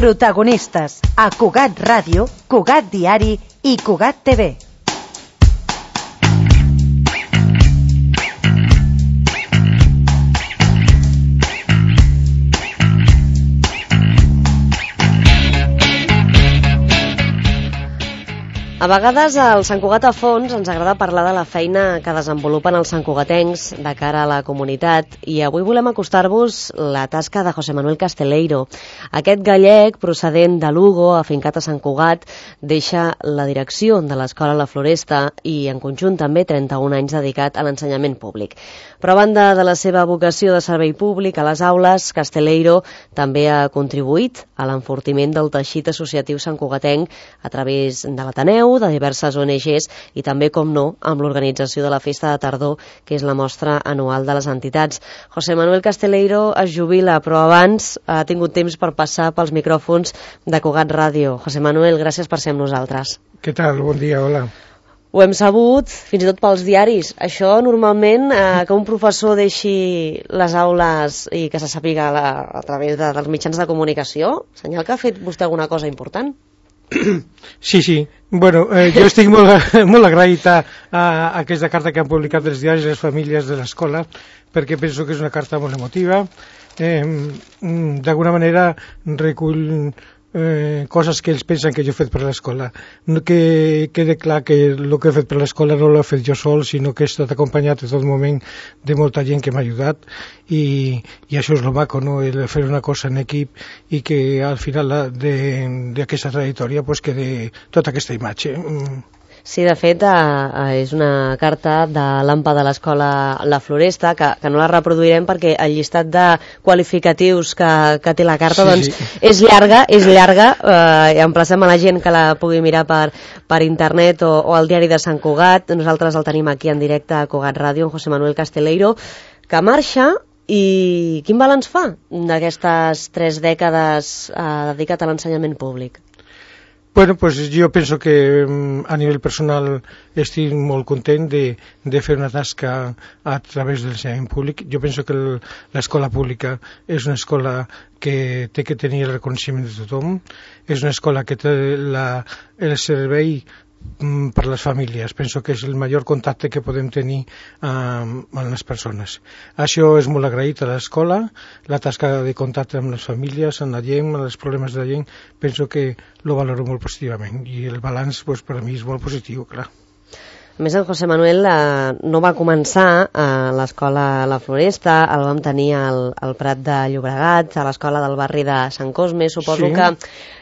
Protagonistes a Cugat Ràdio, Cugat Diari i Cugat TV. A vegades al Sant Cugat a fons ens agrada parlar de la feina que desenvolupen els santcugatencs de cara a la comunitat i avui volem acostar-vos la tasca de José Manuel Casteleiro. Aquest gallec, procedent de Lugo, afincat a Sant Cugat, deixa la direcció de l'Escola La Floresta i en conjunt també 31 anys dedicat a l'ensenyament públic. Però a banda de la seva vocació de servei públic a les aules, Casteleiro també ha contribuït a l'enfortiment del teixit associatiu santcugatenc a través de l'Ateneu, de diverses ONGs i també, com no, amb l'organització de la Festa de Tardor, que és la mostra anual de les entitats. José Manuel Casteleiro es jubila, però abans ha tingut temps per passar pels micròfons de Cugat Ràdio. José Manuel, gràcies per ser amb nosaltres. Què tal? Bon dia, hola. Ho hem sabut, fins i tot pels diaris. Això, normalment, que un professor deixi les aules i que se sàpiga a través dels mitjans de comunicació, senyal que ha fet vostè alguna cosa important? Sí. Bueno, jo estic molt agraït a aquesta carta que han publicat els diaris les famílies de l'escola, perquè penso que és una carta molt emotiva. D'alguna manera recull coses que ells pensen que jo he fet per l'escola. Que quede clar que el que he fet per l'escola no l'he fet jo sol, sinó que he estat acompanyat en tot moment de molta gent que m'ha ajudat i això és lo maco, no? El fer una cosa en equip i que al final d'aquesta trajectòria pues, quede tota aquesta imatge. Sí, de fet, és una carta de l'AMPA de l'Escola La Floresta, que no la reproduirem perquè el llistat de qualificatius que té la carta doncs, és llarga, i emplacem a la gent que la pugui mirar per internet o al diari de Sant Cugat. Nosaltres el tenim aquí en directe a Cugat Ràdio, en José Manuel Casteleiro, que marxa. I quin balanç fa d'aquestes 3 dècades dedicat a l'ensenyament públic? Bueno, pues yo pienso que a nivel personal estic molt content de fer una tasca a través del ensenyament públic. Jo penso que l'escola pública és una escola que té que tenir el reconeixement de tothom, és una escola que té el servei per les famílies. Penso que és el major contacte que podem tenir amb les persones. Això és molt agraït a l'escola, la tasca de contacte amb les famílies, amb la gent, amb els problemes de la gent, penso que lo valoro molt positivament i el balanç pues, per a mi és molt positiu, clar. A més, en José Manuel no va començar a l'Escola La Floresta, el vam tenir al Prat de Llobregat, a l'escola del barri de Sant Cosme. Suposo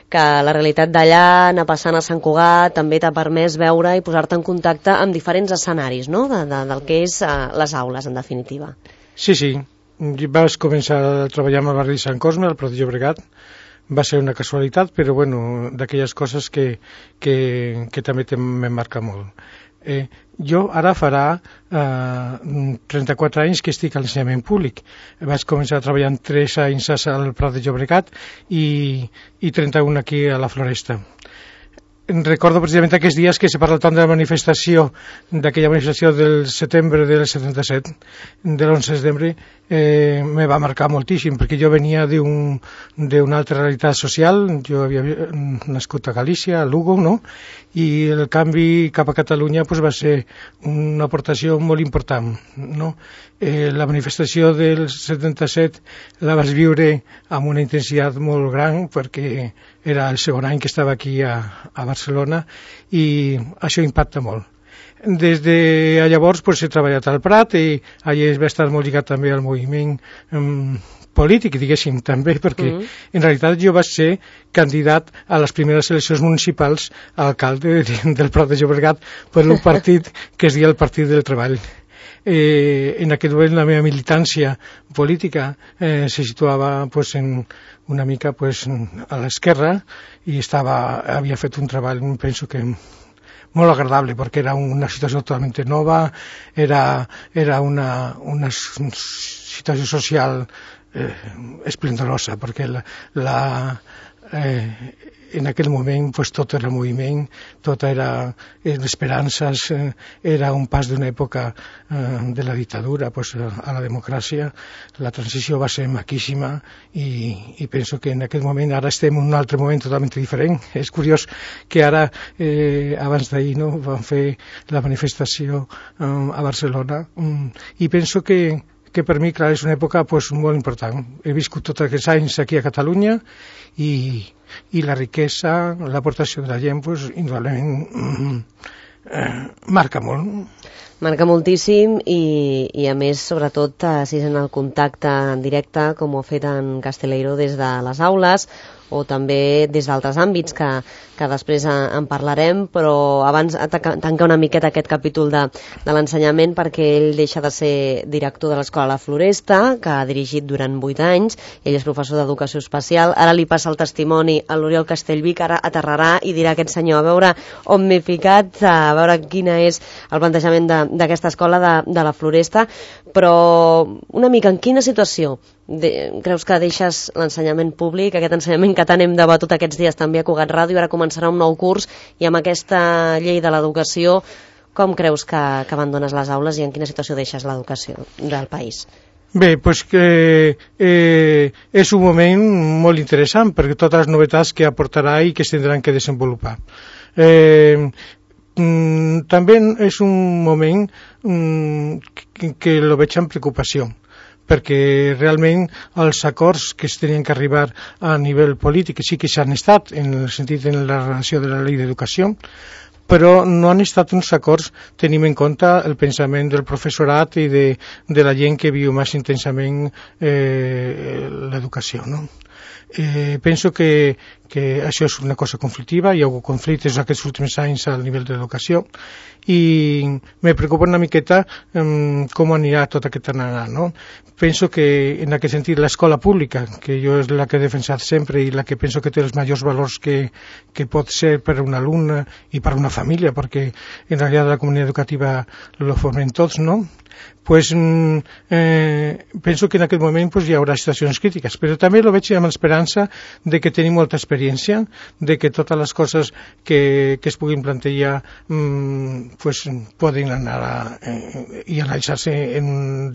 que la realitat d'allà, anar passant a Sant Cugat, també t'ha permès veure i posar-te en contacte amb diferents escenaris, no?, del que és les aules, en definitiva. Sí. Vas començar a treballar amb el barri de Sant Cosme, al Prat de Llobregat. Va ser una casualitat, però bueno, d'aquelles coses que també me marca molt. Jo ara farà 34 anys que estic a l'ensenyament públic. Vaig començar treballant 3 anys al Prat de Llobregat i 31 aquí a la Floresta. Recordo precisament aquests dies que se parla tant de la manifestació, d'aquella manifestació del setembre del 77, de l'11 de setembre, me va marcar moltíssim, perquè jo venia d'una altra realitat social. Jo havia nascut a Galícia, a Lugo, no?, i el canvi cap a Catalunya pues, va ser una aportació molt important, no? La manifestació del 77 la vaig viure amb una intensitat molt gran perquè era el segon any que estava aquí a Barcelona i això impacta molt. Des de llavors pues, he treballat al Prat i allà he estat molt lligat també al moviment polític, diguéssim, també, perquè en realitat jo vaig ser candidat a les primeres eleccions municipals a alcalde del Prat de Llobregat per un partit que es deia el Partit del Treball. En aquest moment la meva militància política se situava pues, una mica pues, a l'esquerra i havia fet un treball, penso que molt agradable, perquè era una situació totalment nova, era una situació social esplendorosa, perquè en aquell moment pues, tot era moviment, tot era esperances, era un pas d'una època de la dictadura pues, a la democràcia. La transició va ser maquíssima i penso que en aquell moment, ara estem en un altre moment totalment diferent. És curiós que ara, abans d'ahir, no, van fer la manifestació a Barcelona i penso que per mi, clar, és una època pues, molt important. He viscut tots aquests anys aquí a Catalunya i la riquesa, l'aportació de la gent, pues, indudablement marca molt. Marca moltíssim i a més, sobretot, si sent el contacte en directe, com ho ha fet en Casteleiro des de les aules, o també des d'altres àmbits que després en parlarem, però abans tanca una miqueta aquest capítol de l'ensenyament perquè ell deixa de ser director de l'Escola La Floresta, que ha dirigit durant 8 anys, ell és professor d'Educació Especial, ara li passa el testimoni a l'Oriol Castellví, que ara aterrarà i dirà aquest senyor, a veure on m'he ficat, a veure quina és el plantejament d'aquesta escola de La Floresta, però una mica en quina situació creus que deixes l'ensenyament públic, aquest ensenyament que tant hem debatut aquests dies també a Cugat Ràdio, ara començarà un nou curs i amb aquesta llei de l'educació, com creus que abandones les aules i en quina situació deixes l'educació del país? Bé, doncs que és un moment molt interessant perquè totes les novetats que aportarà i que es tindran que desenvolupar. També és un moment que lo veig amb preocupació, perquè realment els acords que es tenien que arribar a nivell polític sí que s'han estat en el sentit de la relació de la llei d'educació, però no han estat uns acords tenint en compte el pensament del professorat i de la gent que viu més intensament l'educació, no? Penso que això és una cosa conflictiva, hi ha hagut conflictes aquests últims anys al nivell de l'educació i me preocupa una miqueta com anirà tot aquest anar, no? Penso que en aquest sentit l'escola pública, que jo és la que he defensat sempre i la que penso que té els majors valors que pot ser per a un alumne i per a una família, perquè en realitat la comunitat educativa lo formen tots, no? Pues, penso que en aquest moment pues, hi haurà situacions crítiques, però també lo veig amb l'esperança de que tenim molta experiència, de que totes les coses que es puguin plantejar pues, poden anar i analitzar-se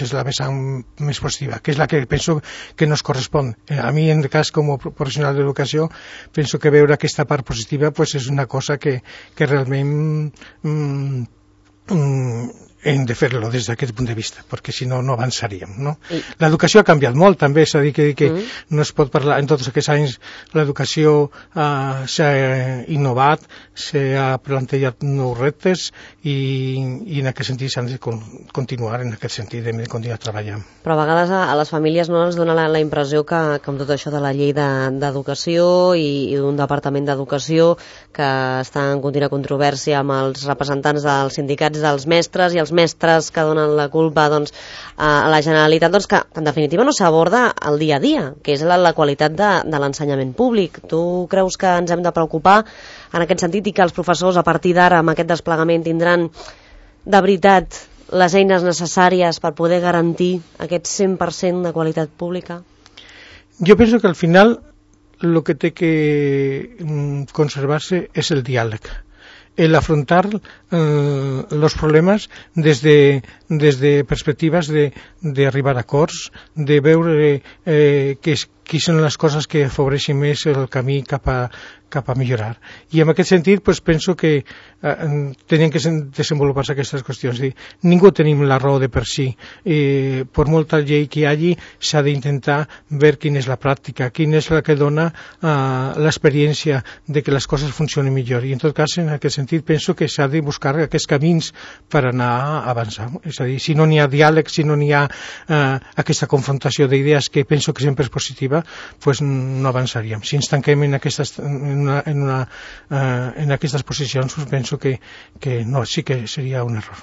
des de la vessant més positiva, que és la que penso que no es correspon. A mi, en el cas com a professional d'educació, penso que veure aquesta part positiva pues, és una cosa que realment hem de fer-lo des d'aquest punt de vista, perquè si no, no avançaríem, no? L'educació ha canviat molt, també, és a dir, que no es pot parlar, en tots aquests anys l'educació s'ha innovat, s'ha plantejat nous reptes i en aquest sentit s'han de continuar, en aquest sentit, hem de continuar treballant. Però a vegades a les famílies no ens dona la impressió que amb tot això de la llei d'educació i d'un departament d'educació que està en contínua controvèrsia amb els representants dels sindicats dels mestres i els mestres que donen la culpa doncs, a la Generalitat, doncs, que en definitiva no s'aborda el dia a dia, que és la qualitat de l'ensenyament públic. Tu creus que ens hem de preocupar en aquest sentit i que els professors a partir d'ara amb aquest desplegament tindran de veritat les eines necessàries per poder garantir aquest 100% de qualitat pública? Jo penso que al final el que té que conservar-se és el diàleg, el afrontar los problemas desde perspectivas de arribar a acords, de veure qui són les coses que afavoreixen més el camí cap a millorar. I en aquest sentit pues, penso que tenien que desenvolupar-se aquestes qüestions. Ningú tenim la raó de per si. Per molta llei que hi hagi, s'ha d'intentar veure quina és la pràctica, quina és la que dona l'experiència de que les coses funcionen millor. I en tot cas, en aquest sentit, penso que s'ha de buscar aquests camins per anar avançant. És a dir, si no n'hi ha diàleg, si no n'hi ha aquesta confrontació d'idees que penso que sempre és positiva, pues no avançaríem. Si ens tanquem en aquestes posicions, pues penso que no, sí que seria un error.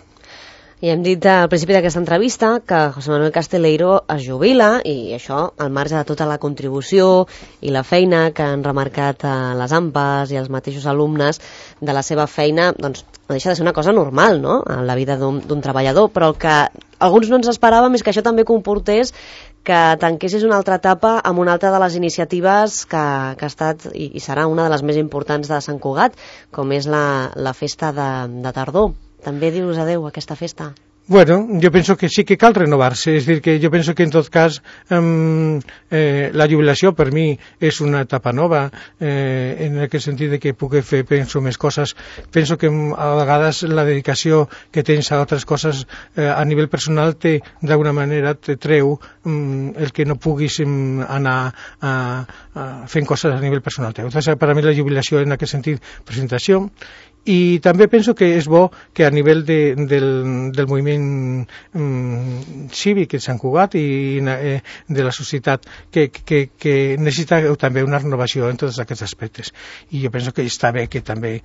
I hem dit al principi d'aquesta entrevista que José Manuel Casteleiro es jubila i això al marge de tota la contribució i la feina que han remarcat les AMPAs i els mateixos alumnes de la seva feina, doncs no deixa de ser una cosa normal, no?, en la vida d'un treballador, però el que alguns no ens esperàvem és que això també comportés que tanquessis una altra etapa amb una altra de les iniciatives que ha estat i serà una de les més importants de Sant Cugat, com és la festa de tardor. També dius adeu a aquesta festa? Bueno, jo penso que sí que cal renovar-se, és a dir, que jo penso que en tot cas la jubilació per mi és una etapa nova, en aquest sentit de que puc fer, penso, més coses. Penso que a vegades la dedicació que tens a altres coses a nivell personal d'alguna manera te treu el que no puguis anar fent coses a nivell personal teu. Entonces, per a mi la jubilació en aquest sentit, presentació. I també penso que és bo que a nivell del moviment cívic de Sant Cugat i de la societat que necessita també una renovació en tots aquests aspectes. I jo penso que està bé que també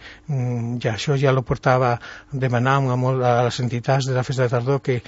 això ja ho portava demanant a les entitats de la festa de tardor que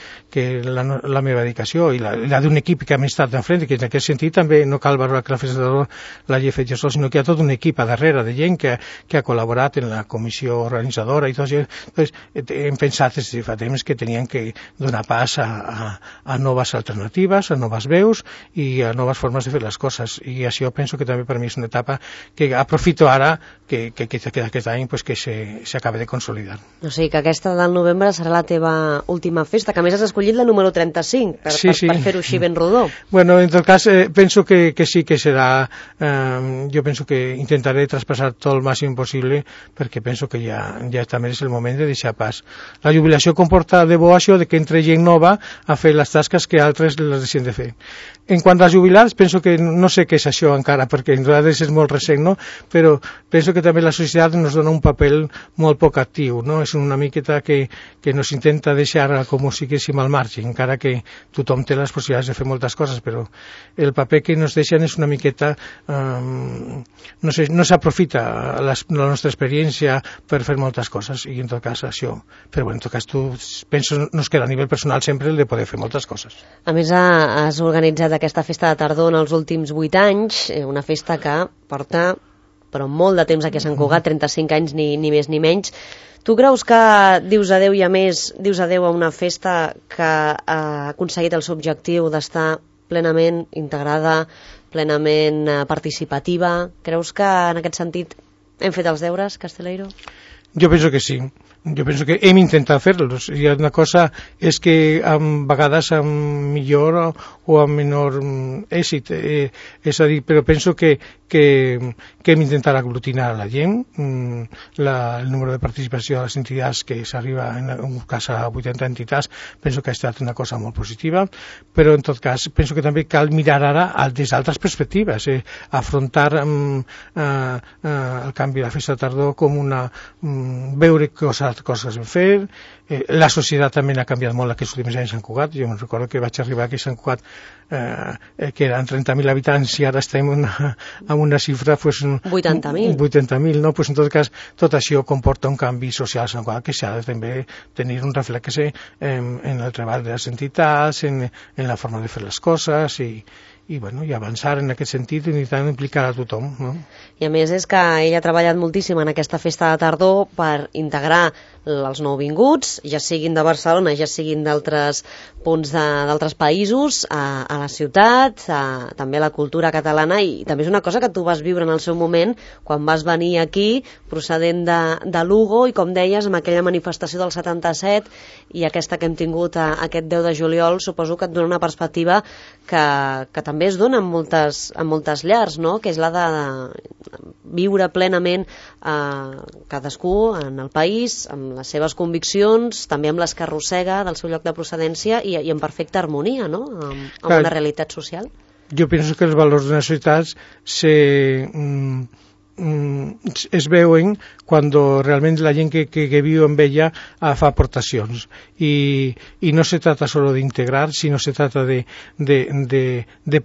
la meva dedicació i la d'un equip que hem estat d'enfrent, que en aquest sentit també no cal valorar que la festa de tardor l'hagi fet jo sol, sinó que hi ha tot un equip a darrere de gent que ha col·laborat en la comissió organitzadora i tot això. Entonces, hem pensat des de fa temps que tenien que donar pas a noves alternatives, a noves veus i a noves formes de fer les coses, i això penso que també per mi és una etapa que aprofito ara que aquest any pues, que s'acaba de consolidar. O sigui que aquesta del novembre serà la teva última festa, que a més has escollit la número 35 per fer-ho així ben rodó. Bueno, en tot cas penso que sí que serà, jo penso que intentaré traspassar tot el màxim possible perquè penso que ja també és el moment de deixar pas. La jubilació comporta de bo això de que entre gent nova a fer les tasques que altres les deixen de fer. En quant als jubilats, penso que no sé què és això encara, perquè en realitat és molt recent, no? Però penso que també la societat ens dona un paper molt poc actiu, no? És una miqueta que nos intenta deixar com si fóssim al marge, encara que tothom té les possibilitats de fer moltes coses, però el paper que ens deixen és una miqueta, no s'aprofita la nostra experiència per fer moltes coses, i en tot cas això, però en tot cas tu penso nos queda a nivell personal sempre el de poder fer moltes coses. A més has organitzat aquesta festa de tardor en els últims 8 anys, una festa que porta però molt de temps aquí a Sant Cugat, 35 anys ni més ni menys. Tu creus que dius adeu i a més dius adeu a una festa que ha aconseguit el seu objectiu d'estar plenament integrada, plenament participativa? Creus que en aquest sentit hem fet els deures, Casteleiro? Jo penso que sí. Jo penso que hem intentat fer-los. I una cosa és que a vegades amb millor o amb menor èxit. És a dir, però penso que hem intentat aglutinar a la gent. El número de participació de les entitats que s'arriba en un cas a 80 entitats penso que ha estat una cosa molt positiva, però en tot cas penso que també cal mirar ara des d'altres perspectives, afrontar el canvi de la festa de tardor com veure coses en fer. La societat també ha canviat molt aquests últims anys a Sant Cugat. Jo me'n recordo que vaig arribar aquí a Sant Cugat que eren 30.000 habitants i ara estem amb una xifra 80.000, no? Pues en tot cas tot això comporta un canvi social a Sant Cugat que s'ha de també tenir un reflexe en el treball de les entitats, en la forma de fer les coses i avançar en aquest sentit i intentar implicar a tothom, no? I a més és que ell ha treballat moltíssim en aquesta festa de tardor per integrar els nouvinguts, ja siguin de Barcelona, ja siguin d'altres punts d'altres països, a la ciutat, també a la cultura catalana, i també és una cosa que tu vas viure en el seu moment quan vas venir aquí procedent de Lugo i, com deies, amb aquella manifestació del 77 i aquesta que hem tingut aquest 10 de juliol, suposo que et dona una perspectiva que també es dona en moltes llars, no? Que és la de viure plenament cadascú en el país, amb les seves conviccions, també amb les que arrossega del seu lloc de procedència i en perfecta harmonia, no? Amb una realitat social. Jo penso que els valors de les societats es veuen quan realment la gent que viu amb ella fa aportacions i no se trata solo d'integrar, sinó se trata de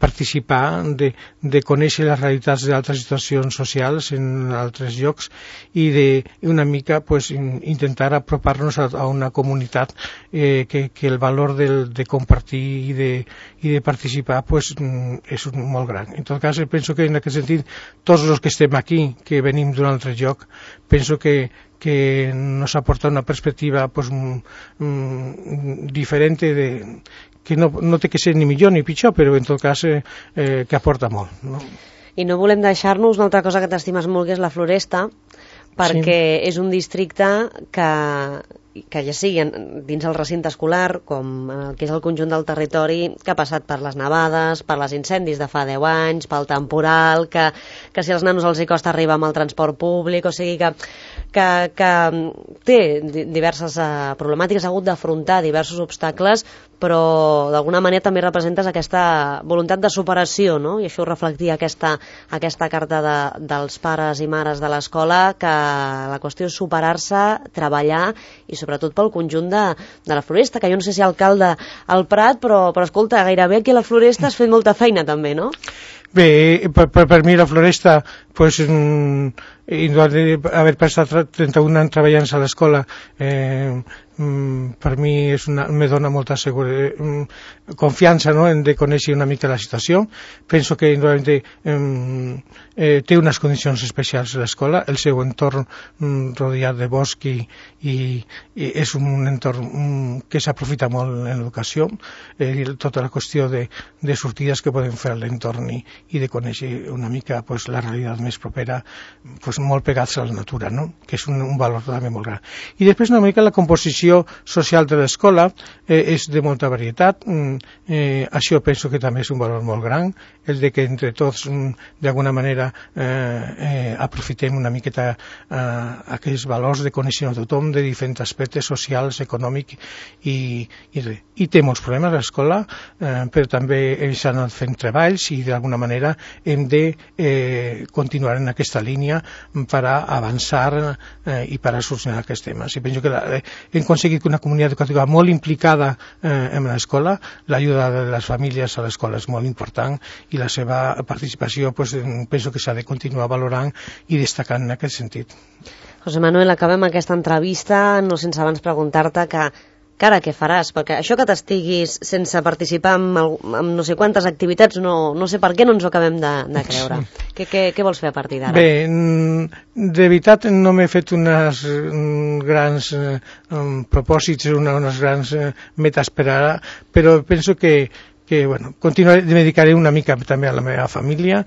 participar, de conèixer les realitats d'altres situacions socials en altres llocs i una mica intentar apropar-nos a una comunitat que el valor de compartir i de participar és molt gran. En tot cas, penso que en aquest sentit tots els que estem aquí, que venim d'un altre lloc, penso que nos aporta una perspectiva diferent no té que ser ni millor ni pitjor, però en tot cas que aporta molt, no? I no volem deixar-nos una altra cosa que t'estimes molt, que és la Floresta, perquè és un districte que ja sigui dins el recinte escolar, com el que és el conjunt del territori, que ha passat per les nevades, per les incendis de fa 10 anys, pel temporal, que si als nanos els hi costa arribar amb el transport públic, o sigui que té diverses problemàtiques, ha hagut d'afrontar diversos obstacles, però d'alguna manera també representes aquesta voluntat de superació, no? I això ho reflectia aquesta carta dels pares i mares de l'escola, que la qüestió és superar-se, treballar, i sobretot pel conjunt de la Floresta, que jo no sé si alcalde al Prat, però escolta, gairebé aquí a la Floresta has fet molta feina també, no? Bé, per mi la Floresta, pues, haver passat 31 anys treballant a l'escola, per mi me dona molta confiança, no?, de conèixer una mica la situació. Penso que té unes condicions especials a l'escola, el seu entorn rodeat de bosc i és un entorn que s'aprofita molt en l'educació, tota la qüestió de sortides que podem fer a l'entorn i de conèixer una mica pues, la realitat més propera, pues, molt pegats a la natura, no?, que és un valor també molt gran. I després una mica la composició social de l'escola és de molta varietat. Això penso que també és un valor molt gran, el de que entre tots d'alguna manera aprofitem una miqueta aquests valors de conèixer a tothom de diferents aspectes socials, econòmics i té molts problemes a l'escola, però també s'han anat fent treballs i d'alguna manera hem de continuar en aquesta línia per a avançar i per a solucionar aquests temes. I penso que hem aconseguit una comunitat educativa molt implicada en l'escola, l'ajuda de les famílies a l'escola és molt important i la seva participació pues, penso que s'ha de continuar valorant i destacant en aquest sentit. José Manuel, acabem aquesta entrevista no sense abans preguntar-te que ara què faràs? Perquè això que t'estiguis sense participar en no sé quantes activitats, no sé per què no ens ho acabem de creure. Sí. Què vols fer a partir d'ara? Bé, de veritat no m'he fet unes grans propòsits, unes grans metes per ara, però penso que bueno, me dedicaré una mica també a la meva família.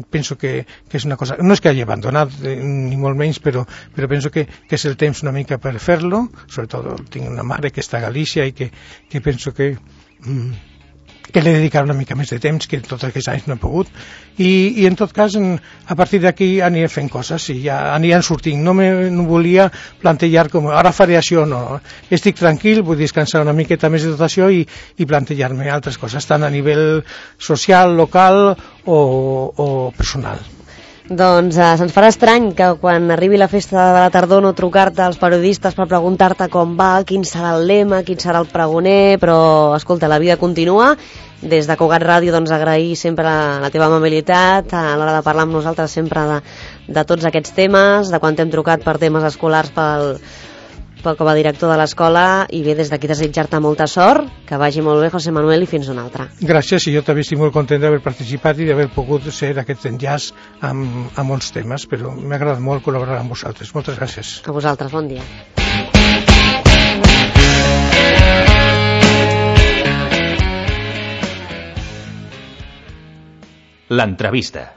Penso que és una cosa, no és que hagi abandonat ni molt menys, però penso que és el temps una mica per fer-lo. Sobretot tinc una mare que està a Galícia i que penso que li he dedicat una mica més de temps, que tots aquests anys no he pogut, i en tot cas a partir d'aquí aniré fent coses i ja aniran sortint. No volia plantejar com ara faré això, no, estic tranquil, vull descansar una miqueta més de tot això i plantejar-me altres coses, tant a nivell social, local o personal. Doncs se'ns farà estrany que quan arribi la festa de la tardor no trucar-te als periodistes per preguntar-te com va, quin serà el lema, quin serà el pregoner, però escolta, la vida continua. Des de Cugat Ràdio doncs agrair sempre la teva amabilitat a l'hora de parlar amb nosaltres sempre de tots aquests temes, de quan t'hem trucat per temes escolars com a director de l'escola, i bé, des d'aquí desitjar-te molta sort, que vagi molt bé, José Manuel, i fins una altra. Gràcies, i jo també estic molt content d'haver participat i d'haver pogut ser aquest enllaç amb molts temes, però m'ha agradat molt col·laborar amb vosaltres. Moltes gràcies. A vosaltres, bon dia. L'entrevista.